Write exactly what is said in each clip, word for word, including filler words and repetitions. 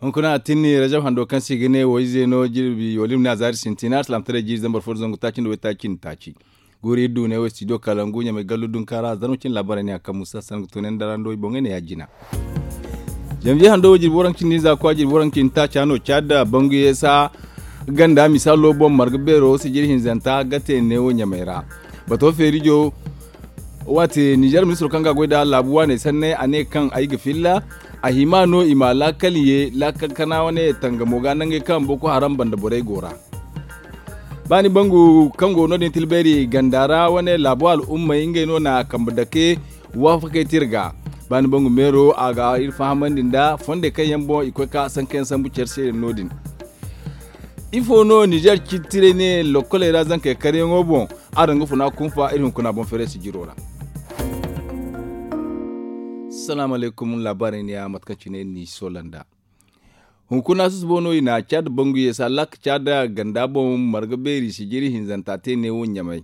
Hunkuna a tinni rajab hando kaŋ se i ga ne wo ize no jirbi wala i ma ne a zaari sintina alsilaamataray jiiri zambar fo da zangu taaci nda waytaaci nda taaci. Guuri iri du ne wo studio kalangu ɲamay gallu dunkaara zarma cine laabaarey ne a kaŋ musa sanda ga to ne nda ra nda wo i boŋey ne ya- jina. Janviye hando wo jirbi waranka cindi hinza kwa jirbi waranka cindi taaca no caada bangu yeesa ganda misaalo boŋ marga beero sijiri hinzanta ga te ne wo ɲamay ra. Bato feerijo waati nizer ministiro kaŋ ga a goy nda laabu waaney sanney a ne kaŋ ay ga filla a hima no i ma laakal ye laakal kana wane tangamo ga nangey kaŋ boko haram banda borey go ra. Baani bangu kaŋ go no- din tilbeeri ganda ra wane laabo al'ummey ngey no na kambe dake waafakey te iri ga. Baani bangu meero a ga iri fahamandi nda fondey kaŋ yaŋ boŋ i koy ka sankayaŋ sambu care se no- din. Ifo no nizer cittirey ne lokkoley ra zankey karyaŋo boŋ? Araŋ ga funa kunfa iri hunkuna boŋ feeray sijiro ra. Salaamu alaykum laabaarey ne ya mate kaŋ cine ni soola nda. Hunkuna susubo no i na caada bangu yeesa laaka caada ganda boŋ marga beeri sijiri hinzanta te neewo ɲamay.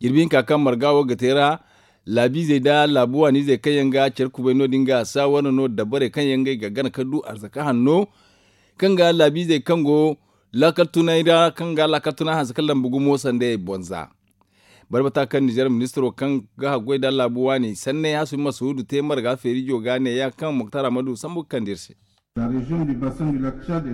Jirbi hinka kaŋ marga wo ga te ra laabiizey nda laabu waaniizey kaŋ yaŋ ga care kubay no- din ga saawara no dabarey kaŋ yaŋ ngey ga gana ka du arzaka hanno kaŋ ga laabiizey kaŋ go laakal tunay ra kaŋ ga laakal tunay hanse kaŋ lamba gumo sanda i bonza. Barbata kaŋ nizer ministiro kaŋ ga haggoy nda laabu waani sanney hasu masuudu te marga feerijo ga neeya kaŋ moktar amadu sambu ga kande iri se.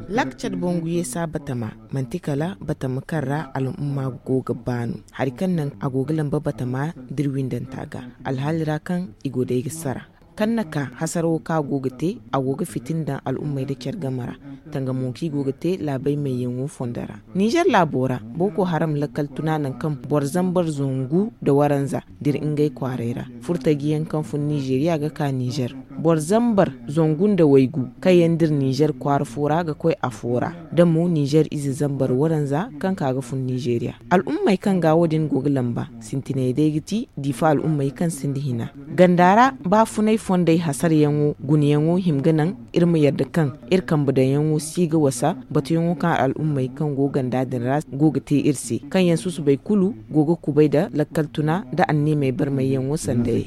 Lakcad bangu yeesa batama manti kala batama kaŋ ra al'umma go ga baanu hari kaŋ naŋ a go ga lamba batama da iri windanta ga alhaali ra kaŋ i go day ga sara kaŋ na ka hasarawo kaŋ a go ga te a go ga fitina daŋ al'ummey nda care game ra tangamo kaŋ i go ga te laabey mayyaŋo fondo ra. Nizer laabo ra boko haram lakkal tuna naŋ kaŋ boro zambar zangu nda waranza da iri ngey kwaaray ra furtaji yaŋ kaŋ fun nizeriya ga ka nizer boro zambar zangu nda waygu kaŋ yaŋ da iri nizer kwaara fo ra ga koy afo ra da mo nizer ize zambar waranza kaŋ ka ga fun nizeriya. Al'ummey kaŋ ga wo- din go ga lamba sintiney day ga ti diifa al'ummey kaŋ sinda hina ganda ra baafunay fondey hasarayaŋo gunayaŋo hima ga naŋ iri ma yadda kaŋ iri kambe daŋyaŋo si ga wasa batuyaŋo kaŋ al'ummey kaŋ go ganda din ra go ga te iri se kaŋ yaŋ susubay kulu go ga kubay nda lakkal tuna nda anniimey barmayyaŋo sandayey.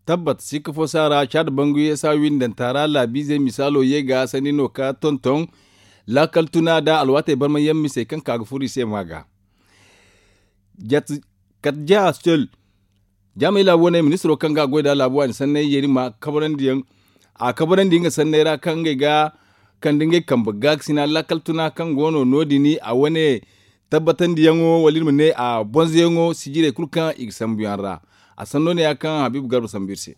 Tabbat sikka fo si a ra caada bangu yeesa windanta ra laabiizey misaalo ye ga sanni no ka tonton laakal tuna nda alwaatey barmayyaŋ misey kaŋ ka ga furo i se ma ga. Kate ja sel jaamay laabu wane ministiro kaŋ ga a goy nda laabu waani sanney yeeri ma kabarandi yaŋ a kabarandi nga sanney ra kaŋ ngey ga kande ngey kambe gaakasina laakal tuna kaŋ go no no- din a wane tabbatandi yaŋo wala iri ma ne a bonzo yaŋo sijirey kulu kaŋ i ga sambu yaŋ ra. A sanno ne ya kaŋ habiibu garba sambu iri se.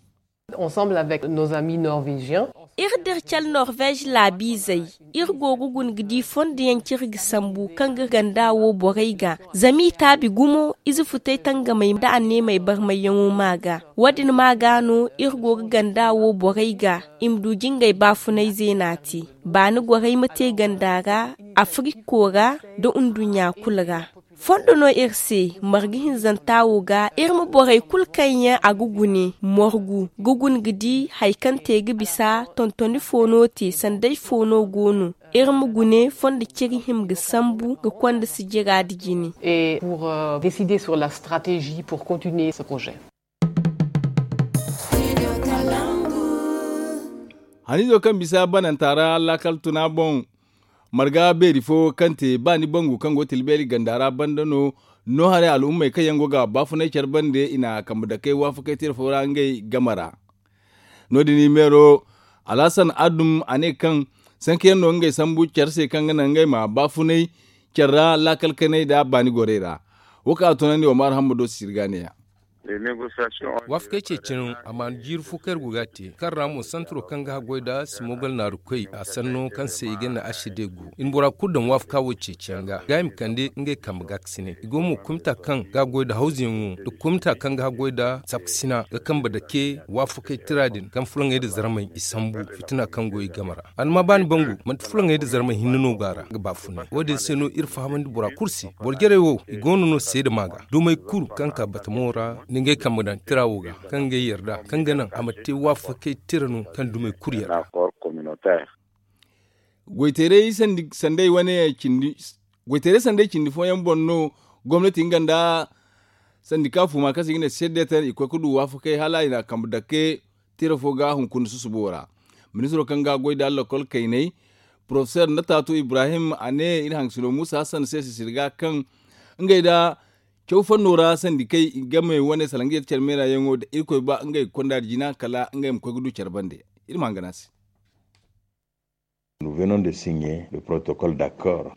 Iri da iri care norvez laabiizey iri go ga guna ga di fondo yaŋ kaŋ iri ga sambu kaŋ ga ganda wo borey ga zama i taabi gumo ize futey tangamey nda anneemey barmayyaŋo ma ga wo- din ma ga no iri go ga ganda wo borey ga i ma du jingey baafunay zeena te baani gorey ma te ganda ra afiriko ra nda nduɲɲa kulu ra. Fondo no iri se marga hinzanta wo ga iri ma borey kulu kaŋ yaŋ a ga gune morgu ga guna ga di hari kaŋ te ga bisa tontoni fo no te sanday fo no go no iri ma gune fondo ciri hima ga sambu ga konda sijira nda jine. Et pour décider sur la stratégie pour continuer ce projet. Haniizo kaŋ bisa bananta ra laakal tuna boŋ marga beeri fo kaŋ te ba ni bangu kaŋ go tilbeeri ganda ra banda no no haray al'ummey kaŋ yaŋ go ga baafunay care bande i na kambe dakey waafakey tira fo ra ngey game ra. No- din i meero alhasan adum a ne kaŋ sanka yaŋ no ngey sambu care se kaŋ ga naŋ ngey ma baafunay care ra laakal kanay nda baani gorey ra. Wo kaŋ a tunandi omar hammado sisiri ga ne- ya. Waafakey ceeciyaŋ a ma jiiri fo kaŋ iri go ga a te kaŋ ra mo santaro kaŋ ga haggoy nda simogal naarukoy a sanno kaŋ se i ga ne asidegu i na bora kulu daŋ waafaka wo ceeciyaŋ ga ga i ma kande ngey kambe gaakasinay i go mo komita kaŋ ga haggoy nda hawzuyaŋo nda komita kaŋ ga haggoy nda sapkasina ga kambe dake waafakey tira din kaŋ fulaŋey nda zarmey i sambu fitina kaŋ go i game ra. Alma baani bangu manti fulaŋey nda zarmey hinne no go a ra ga baafunay wo- din se no iri fahamandi bora kulu se boro jarey wo i go no no seeda ma ga dumey kulu kaŋ ka batamo ra nda ngey kambe daŋ tira wo ga kaŋ ngey yarda kaŋ ga naŋ a ma te waafakey tira no kaŋ dumey kulu yarda. Goyteeray sandey wane cindi goyteeray sandey cindi fooyaŋ boŋ no gomnati nga nda sandika fuuma kaŋ se i ga ne seedeetar i koy ga du waafakey hala i na kambe dake tira fo ga hunkuna susubo ra. Ministiro kaŋ ga goy da lokol kayney, porofeseer nataatu ibrahim a ne iri haŋ sino muusa hassan se sisiri ga kaŋ ngey da caw fanno ra sandikey game wane salaŋ ga yadda care meera yaŋo da irkoy ba ngey ga konda da jina kala ngey ma koy ga du care bande. Iri ma haŋ gana se.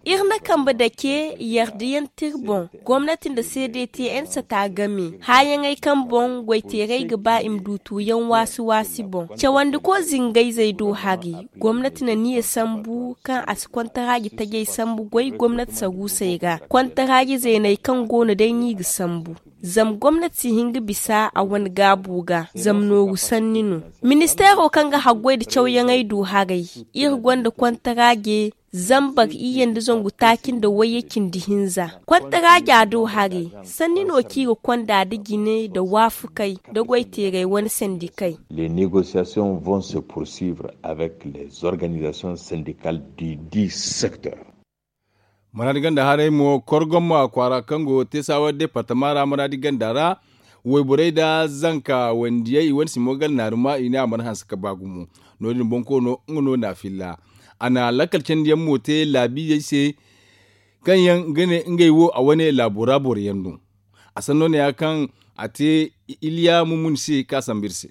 Iri na kambe dake yarda yaŋ te iri boŋ. Gomnati nda cdtn sata game haayaŋey kaŋ boŋ goyteerey ga ba i ma du tuuyaŋ waasi waasi boŋ. Cawandi ko zingayzey do hari. Gomnati na niya sambu kaŋ a si kontaraaji tajey sambu goy gomnati saruusey ra. Kontaraaji zeeney kaŋ go no day no i ga sambu. Zama gomnati si hin ga bisa a wane gaabu ga zama nooru sanni no. Ministeero kaŋ ga haggoy nda cawyaŋey du haray, iri gonda kontaraaje zambar iyye nda zangu taaci nda wayye cindi hinza. Kontaraaja do haray, sanni no kaŋ i ga konda nda jine nda waafakey nda goyteerey wane sandikey. Les négociations vont se poursuivre avec les organisations syndicales du dix secteurs. Maraadi ganda haray mo korgom kwaara kaŋ go teesawa departama ra maraadi ganda ra. Wayborey nda zanka wandiyey i wane simo gala naaruma i ne a mana hanse ka ba gumo. No- din boŋ koono nga no na filla. A na lakkal candiyaŋ mo te laabiizey se kaŋ yaŋ ga ne ngey wo a wane laabo ra boro yaŋ no. A sanno ne- ya kaŋ a te iliya mumun se ka sambu iri se.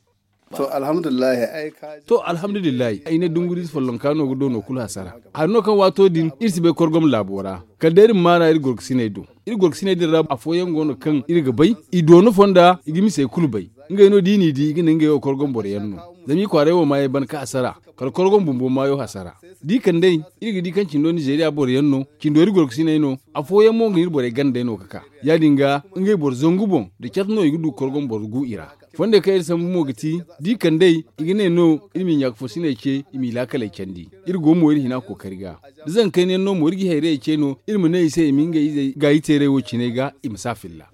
To alhamdulillahi ay ne dunguriize follonka no ga doono kulu hasara. Hari no kaŋ waato din iri si bay korgom laabo ra kala day iri ma maana iri gorkasiney do. Iri gorkasiney din ra afooyaŋ go no kaŋ iri ga bay i doona fonda i ga misey kulu bay. Ngey no da i n'i di i ga ne ngey wo korgom boro yaŋ no. Zama i kwaaray wo maayey ban ka hasara kala korgom bumbo maayo hasara. Da i kand'ey iri ga di kaŋ cindo nizeeriya boro yaŋ no. Cindo iri gorkasiney no. Afooyaŋ mo nga iri borey gandey no ga ka ya- din ga ngey boro zangu boŋ da cat no i ga du korgom boro gu i ra. Fondey kaŋ iri sambu mo ga ti da i kand'ey i ga ne no iri ma i ɲaaka foosiney ce i m'i laakaley candi. Iri go mo iri hina kookari ga da zankayna yaŋ no mo iri ga i hayrayey ce no iri ma ne i se i ma ngey izey gaayi teeray wo ciney ga i ma si a filla.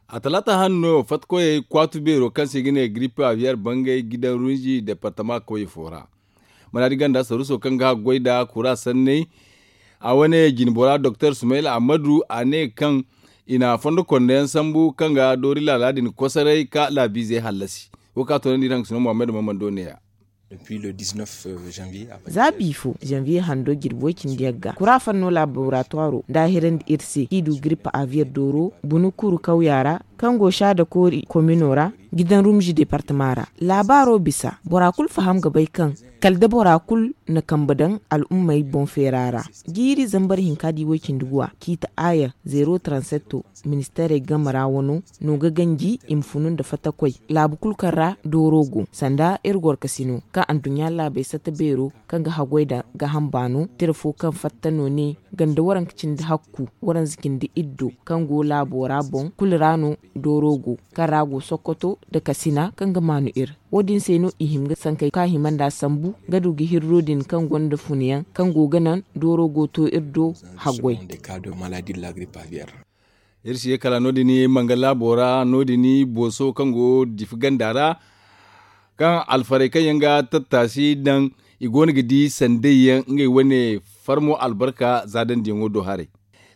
A talaata hanno fattakoyey kwaatu beero kaŋ se i ga ne giripe aviyeer bangay gidan runzi departama kawye fo ra. Manaadi ganda saruuso kaŋ ga haggoy nda kura sanney a wane jinbora doktor sumayla ammadu a ne kaŋ i na fondo konda yaŋ sambu kaŋ ga doori laala din kosoray ka laabiizey hallasi. Wo kaŋ a toonandi iri haŋ ga sino muhammad mammando ne- ya. Za biifo zanviye hando jirbi way-cindi yagga kura fanno laboratwaro nda a hirandi iri se kaŋ i du giripa aviyeer dooro bunukuru kawya ra kaŋ go saada koori komino ra. Gidan rumzi departama ra laabaaro bisa bora kulu faham ga bay kaŋ kala da bora kulu na kambe daŋ al'ummey boŋ feera ra. Jiiri zambar hinka di way-cindi guwa ciita aaya zeero transetto. Ministeerey game ra wano no ga ganji i ma funu nda fattakoy laabu kulu kaŋ ra dooro go sanda iri gorkasino kaŋ anduɲɲa laabey satta beero kaŋ ga haggoy nda gaaham baano tira fo kaŋ fatta no ne ganda waranka cindi hakku waranza cindi iddo kaŋ go laabo ra boŋ kulu ra no dooro go kaŋ ra go sokkoto nda kasina kaŋ ga maanu iri. Wo- din se no i hima ga sankey kaŋ a hima nd'a sambu ga du ga hirro din kaŋ gonda funayaŋ kaŋ go ga naŋ dooro go to iri do haggoy. Iri si ye kala no- din manga laabo ra no- din booso kaŋ go difi ganda ra kaŋ alfarey kaŋ yaŋ ga tattaasi daŋ i go no ga di sandey yaŋ ngey wane farmo albarka za dandiyaŋo do haray.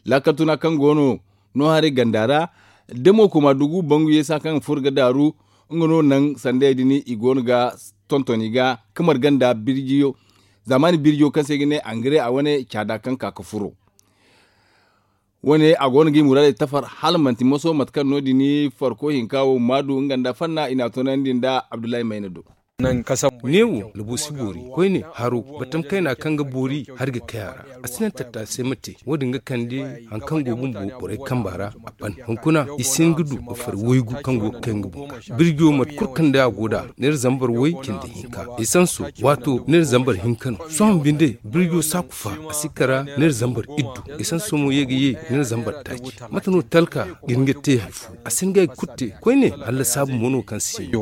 Laakal tuna kaŋ go no no haray ganda ra da mo koma dugu bangu yeesa kaŋ furo ga daaru nga no naŋ sandey din i go no ga tonton i ga kamar ganda birjiyo zaamaani birjiyo kaŋ se i ga ne angare a wane caada kaŋ ka ga furo. Wo- ne a go no ga i muraadey tafar hala manti moso mate kaŋ no- din farko hinka wo ma du nga nda fanna i n'a toonandi nda abdullahi mayna do. Neewo labu si boori koyne haro batam kayna kaŋ ga boori hari ga kay a ra. A si naŋ tattaasay ma te wo- din ga kande hari kaŋ go bumbo borey kamba ra. A ban hunkuna i si hin ga du ga fari waygu kaŋ go ga kay nga bumbo birjo mate kulu kaŋ day a go nd'a neera zambar way cindi hinka. Esanso waato neera zambar hinka no sohõ binde birjo saaku fa a si kara neera zambar iddu. Esanso mo ye ga ye neera zambar taaci mate no talka ga hin ga te hari fo a si hin ga hari kulu te koyne hala saabu mo no kaŋ si hin.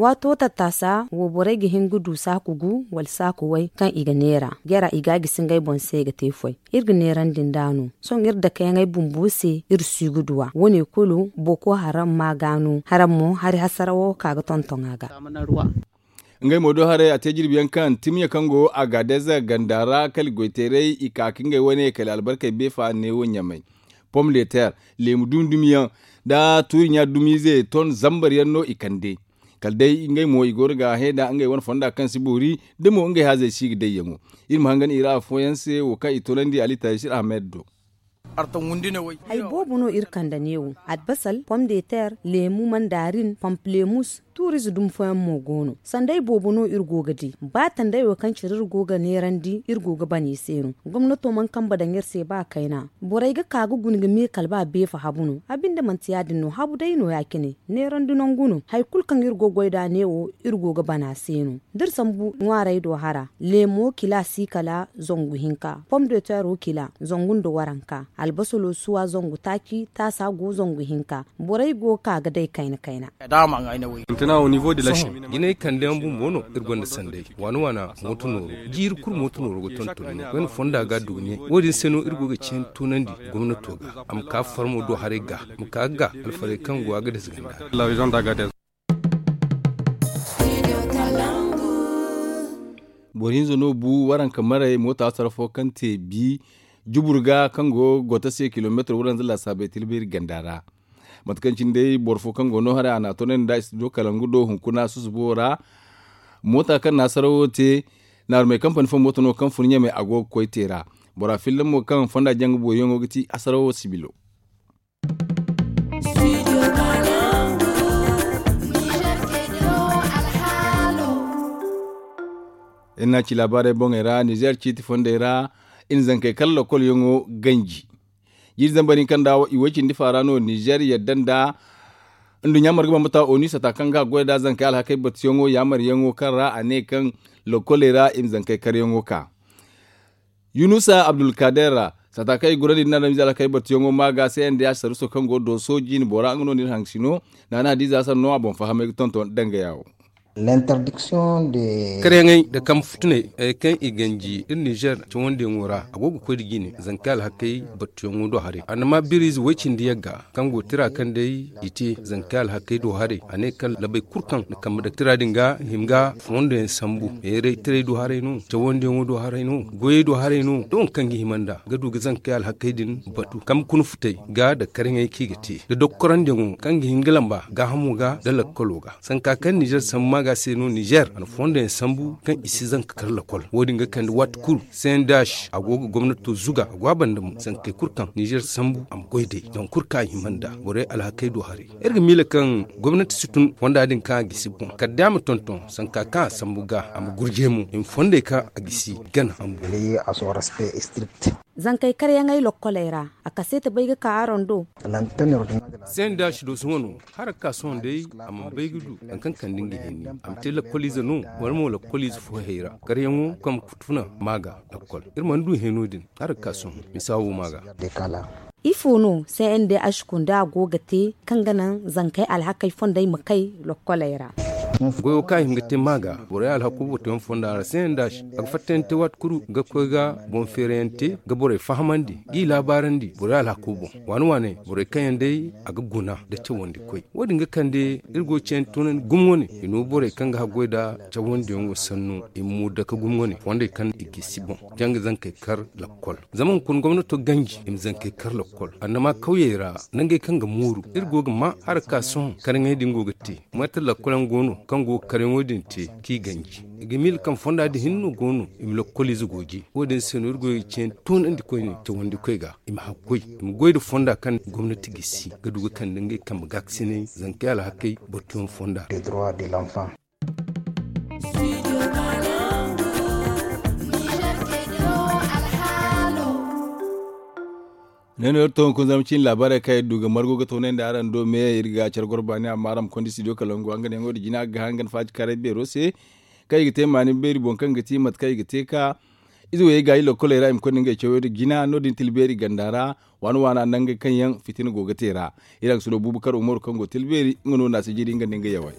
Waato tattaasa wo borey ga hin ga du saaku gu wala saaku way kaŋ i ga neera jara i ga a gisi ngey boŋ se ga te foy. Iri ga neerandi nd'a no sohõ iri dakeyaŋey bumbo se iri si ga du a wo- ne kulu boko haram ma ga no haram mo hari hasara wo ka ga tonton a ga. Ngey mo do haray a te jirbi yaŋ kaŋ timya kaŋ go a ga dezer ganda ra kala goyteeray i ka ka ngey wane kala albarkey beefa neewo ɲamay pom de terre leemu dumi dumi yaŋ nda tuuri ɲa dumiize ton zambar yaŋ no i kande. Kala day ngey mo i go no ga hã da ngey wane fonda kaŋ si boori da mo ngey haazey si ga dayyaŋo. Iri ma hangan i ra afooyaŋ se wo kaŋ i toonandi ali taysir ahmed do. Hay boobo no iri kande neewo, albasal, pom de ter, leemu mandarin, pamplemus, tuurize dumi fooyaŋ mo go no. Sanday boobo no iri go ga di. Ba tanday wo kaŋ cire iri go ga neerandi iri go ga ban i se no. Gomnato mana kambe daŋ iri se ba kayna. Borey ga ka ga guna ga me kala ba beefa habu no. A binde manti ya- din no, habu day no ya- cine. Neerandi nangu no. Hari kulu kaŋ iri go ga goy nd'a neewo, iri go ga ban a se no. Da iri sambu ŋwaarey do hara, leemo kila si kala zangu hinka, pom de tero kila zangu nda waranka, albasalo suwa zangu taaci, taasa go zangu hinka. Borey go ga ka ga day kayna kayna. Jinay kande yaŋ bumbo no iri gonda sanday. Waana waana mooto nooro, jiiri kulu mooto nooro ga tonton no. Wayna fonda ga dugume. Wo- din se no iri go ga cin tunandi gomnato ga, a ma ka farmo do haray ga, a ma ka ga alfarey kaŋ go a ga dasa ganda. Boro hinza no bu waranka maray moota sarrafo kaŋ te bi jubur ga kaŋ go goto se kilomeetar waranza lasaabey tilbiri ganda ra. Mate kaŋ cine day boro fo kaŋ go no haray a n'a toonandi nda studio kalangu do hunkuna susubo ra. Moota kaŋ na sarawo te naarumey kampani fo moota no kaŋ fun ɲamey a go ga koy te ra. Bora fillan mo kaŋ fonda jaŋ ga booriyaŋo ga ti asarawo sibilo. Iri n'a ci laabaarey boŋey ra nizeer ciiti fondey ra i na zankey kala lokolyaŋo ganji. Jiiri zambar hinka nda i way cindi faara no nizeer yadda nda nduɲɲa marga bambata onu sata kaŋ ga a goy nd'a zankey alhakey batuyaŋo yaamaryaŋo kaŋ ra a ne kaŋ lokoley ra i ma zankey karyaŋo ka. Yunusa abdulkader ra sata kaŋ i gurandi nda nda mizaala kaŋ ay batuyaŋo ma ga se nda ya saruso kaŋ go dooso jiine bora nga no nda iri hangasino. Naana hadiza hasar no a boŋ fahamay ga tonton danga yawo. Karyaŋey nda kambe futuney kaŋ i ganji iri nizeer cawandiyaŋo ra a go ga koy nda jiine zankey alhakey batuyaŋo do haray annama biriize way cindi yagga kaŋ go tira kaŋ day i te zankey alhakey do haray a ne kaŋ labey kulu kaŋ na kambe daŋ tira din ga hima ga fondoyaŋ sambu heeray tiray do haray no cawandiyaŋo do haray no goyey do haray no da waŋ kaŋ ga hima nd'a ga du ga zankey alhakey din batu kambe kuna futey ga nda karyaŋey kaŋ i ga te nda dokkorandiyaŋo kaŋ ga hin ga lamba gaahamo ga nda lakkalo ga sanka kaŋ nizeer sambu maaga se no nizeer a na fondoyaŋ sambu kaŋ i si zanka kar lakkol wo- din ga kande waati kulu sendash a go ga gomnato zuga a go a banda mo zankey kulu kaŋ nizeer sambu a ma goy day zangu kulu kaŋ a hima nd'a borey alhakey do haray. Iri ga miila kaŋ gomnati si tun fonda din kaŋ a gisi boŋ kala day a ma tonton sanka kaŋ a sambu ga a ma gurjay mo i ma fondey kaŋ a gisi gana a ma boori. Zankey karyaŋey lokkoley ra a kaseeti bay ga ka araŋ do. Sendash do sohõ no hara ga ka sohõ day a mana bay ga du nangu kaŋ kande nga hẽeni a ma te lakkoliize no wala mo lakkoliize fo hayra karyaŋo kaŋ ga tuna maaga lakkol iri mana du hẽeno din hara ga ka sohõ misa wo maaga. Ifo no cndh kunda go ga te kaŋ ga naŋ zankey alhakey fondey ma kay lokkoley ra? Goyo kaŋ a hima ga te maaga borey alhako batuyaŋ fonda ra cndh a ga fattayaŋ te waati kulu ga koy ga boŋ feerayaŋ te ga borey fahamandi g'i laabaarandi borey alhako boŋ waane waane borey kaŋ yaŋ day a ga guna nda cawandi koy wo- din ga kande iri go ga cayandi toonandi gumo wane i no borey kaŋ ga haggoy nda cawandiyaŋo sannu i ma mu dake gumo wane fondey kaŋ i gisi boŋ janga zankey kar lakkol zama hunkuna gomnato ganji i ma zankey kar lakkol annama kawyey ra nangey kaŋ ga mooru iri go ga ma hara ka sohõ karyaŋey din go ga te mate lakkol yaŋ go no kaŋ go ga karyaŋo din te k'i ganji i ga miila kaŋ fonda din hinne no go no i ma lakkoliize gooji wo- din se no iri go ga cayandi toonandi koyne cawandi koy ga i ma haggoy i ma goy nda fonda kaŋ gomnati gisi ga du ga kande ngey kambe gaakasinay zankey alhakey batuyaŋ fonda ra. Ne no iri to hunkuna zama cine laabaarey kaŋ iri du ga margu ga toonandi araŋ do me iri ga care goro baani amma araŋ ma konda studio kalangu hanganyaŋo nda jina ga ga hangan faaci karay beero se kaŋ i ga te maani beeri boŋ kaŋ ga ti mate kaŋ i ga te ka ize wo ye gaayi lokkoley ra i ma konda ngey cawey nda jina no- din tilbeeri ganda ra waana waana nangey kaŋ yaŋ fitina go ga te ra. Iri hangasino buubu kar umaru kaŋ go tilbeeri nga no naasijiiri nga nda nga yawey.